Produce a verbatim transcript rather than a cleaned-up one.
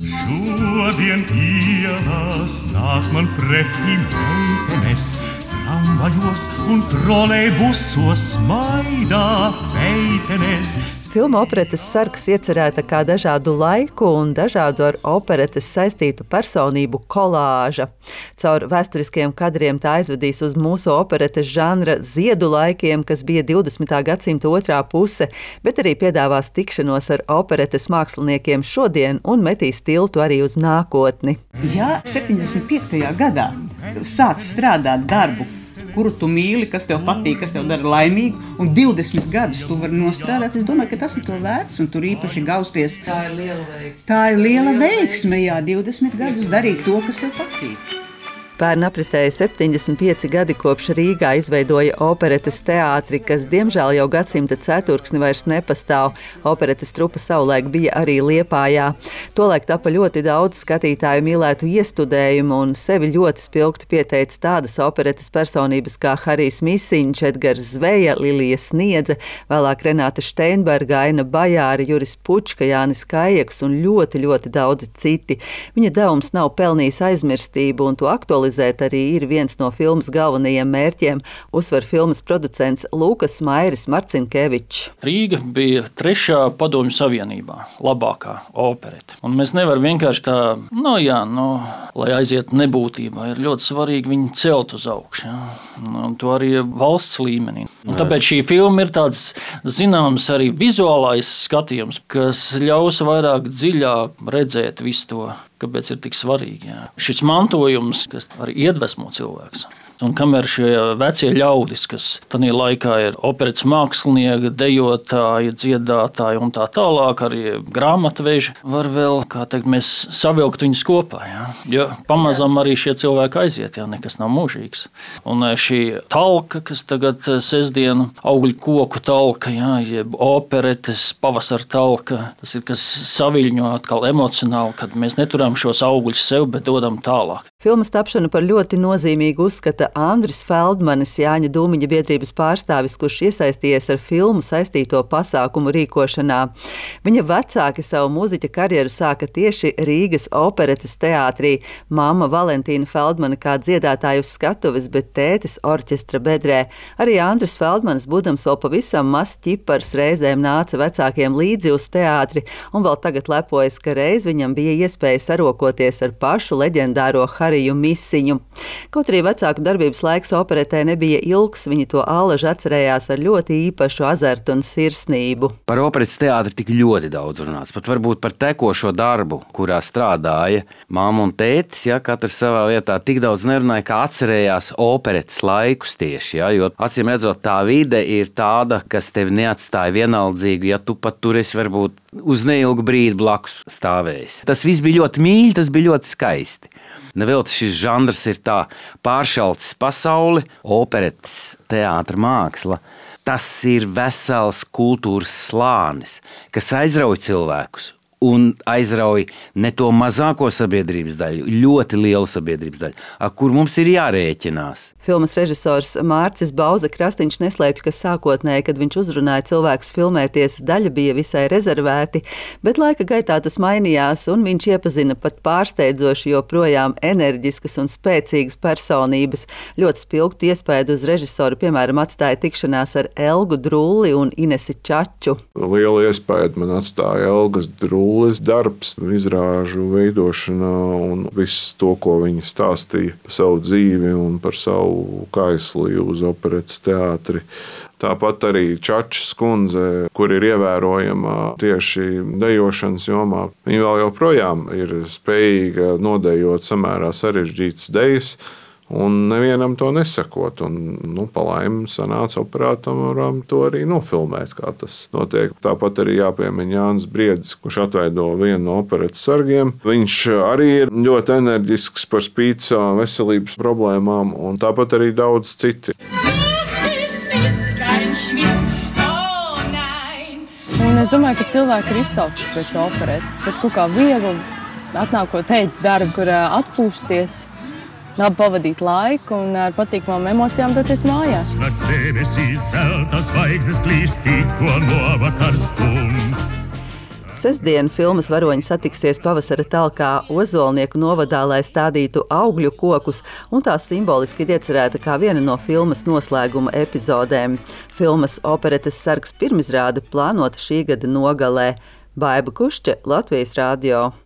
Šodien ielās nāk man pretī meitenes, tramvajos un trolejbusos smaidā meitenes. Filma Operetes sargs iecerēta kā dažādu laiku un dažādu ar operetes saistītu personību kolāža. Caur vēsturiskiem kadriem tā aizvedīs uz mūsu operetes žanra ziedu laikiem, kas bija divdesmitā gadsimta otrā puse, bet arī piedāvās tikšanos ar operetes māksliniekiem šodien un metīs tiltu arī uz nākotni. Ja septiņdesmit piektajā gadā sāc strādāt darbu, kuru tu mīli, kas tev patīk, kas tev dara laimīgu, un divdesmit gadus tu vari nostrādāt, es domāju, ka tas ir to vērts, un tur īpaši gausties. Tā ir liela veiksme. Tā ir liela veiksme, jā, divdesmit gadus darīt to, kas tev patīk. Pērn apritēja septiņdesmit pieci gadi kopš Rīgā izveidoja operetes teātri, kas diemžēl jau gadsimta ceturksni vairs nepastāv. Operetes trupa savulaik bija arī Liepājā. Tolaik tapa ļoti daudz skatītāju mīlētu iestudējumu un sevi ļoti spilgti pieteica tādas operetes personības kā Harijs Misiņš, Edgars Zveja, Lilija Sniedze, vēlāk Renāte Šteinberga, Aina Bajāra, Juris Pučka, Jānis Kājeks un ļoti, ļoti daudzi citi. Viņa devums nav pelnījis aizmirstību un to aktualizēt arī ir viens no filmas galvenajiem mērķiem, uzsver filmas producents Lūkas Mairis Marcinkevičs. Rīga bija trešā Padomju Savienībā labākā operete. Un mēs nevaram vienkārši tā, no jā, no, lai aiziet nebūtībā, ir ļoti svarīgi viņu celt uz augšu. Ja? Un to arī valsts līmenī. Un tāpēc šī filma ir tāds zināms arī vizuālais skatījums, kas ļaus vairāk dziļāk redzēt visu to, kāpēc ir tik svarīgi. Jā. Šis mantojums, kas arī iedvesmo cilvēks. Un kamēr šie vecie ļaudis, kas tajā laikā ir operetes mākslinieki, dejotāji, dziedātāji un tā tālāk, arī grāmatveži, var vēl, kā teikt, mēs savilkt viņus kopā. Jā. Jo pamazām arī šie cilvēki aiziet, jā, nekas nav mūžīgs. Un šī talka, kas tagad sestdienu augļu koku talka, jā, jeb operetes pavasara talka, tas ir kas saviļņo atkal emocionāli, kad mēs neturām šos augļus sev, bet dodam tālāk. Filmas tapšanu par ļoti nozīmīgu uzskata Andris Feldmanis, Jāņa Dūmiņa biedrības pārstāvis, kurš iesaistījies ar filmu saistīto pasākumu rīkošanā. Viņa vecāki savu mūziķa karjeru sāka tieši Rīgas operetes teātrī. Mamma Valentīna Feldmana kā dziedātāja uz skatuves, bet tētis orķestra bedrē. Arī Andris Feldmanis, būdams vēl pavisam mazs ķipars, reizēm nāca vecākiem līdzi uz teātri un vēl tagad lepojas, ka reiz viņam bija iespēja sarokoties ar pašu leģendāro Hariju Misiņu. Kaut arī vecāku darbības laiks operetē nebija ilgs, viņi to allaž atcerējās ar ļoti īpašu azartu un sirsnību. Par operetes teātri tik ļoti daudz runāts, pat varbūt par tekošo darbu, kurā strādāja mamma un tētis, ja, katrs savā vietā tik daudz nerunāja, kā atcerējās operetes laikus tieši, ja, jo acīm redzot tā vide ir tāda, kas tevi neatstāja vienaldzīgu, ja tu pat tur esi varbūt uz neilgu brīdi blakus stāvējis. Tas viss bija ļoti mīļi, tas bija ļoti skaisti. Nevelti šis žanrs ir tā pāršalts pasauli, operetes teātra māksla. Tas ir vesels kultūras slānis, kas aizrauj cilvēkus. Un aizrauj ne to mazāko sabiedrības daļu, ļoti lielu sabiedrības daļu, ar kur mums ir jārēķinās. Filmas režisors Mārcis Bauza Krastiņš neslēpj, ka sākotnēji, kad viņš uzrunāja cilvēkus filmēties, daļa bija visai rezervēti, bet laika gaitā tas mainījās, un viņš iepazina pat pārsteidzoši joprojām enerģiskas un spēcīgas personības. Ļoti spilgtu iespēju uz režisoru, piemēram, atstāja tikšanās ar Elgu Drulli un Inesi Čaču. Liela iespēja man atstāja Elgas Drullis darbs, izrāžu veidošanā un viss to, ko viņa stāstīja par savu dzīvi un par savu kaisliju uz operetes teātri. Tāpat arī Čačas kundze, kur ir ievērojama tieši dejošanas jomā. Viņa vēl joprojām ir spējīga nodejot samērā sarežģītas dejas, un nevienam to nesakot. Un, nu, palaim sanāca operatoram to arī nofilmēt, kā tas notiek. Tāpat arī jāpiemina Jānis Briedis, kurš atveido vienu no operetes sargiem. Viņš arī ir ļoti enerģisks par spīti savām veselības problēmām, un tāpat arī daudz citi. Un es domāju, ka cilvēki ir izsalkuši pēc operetes, pēc kaut kā viegla, atnākot teicis darbu, kur atpūsties, labi pavadīt laiku un ar patīkamām emocijām doties mājās. Sestdien filmas varoņi satiksies pavasara talkā Ozolnieku novadā, lai stādītu augļu kokus, un tā simboliski ir iecerēta kā viena no filmas noslēguma epizodēm. Filmas Operetes sargs pirmizrāde plānota šī gada nogalē. Baiba Kušķe, Latvijas radio.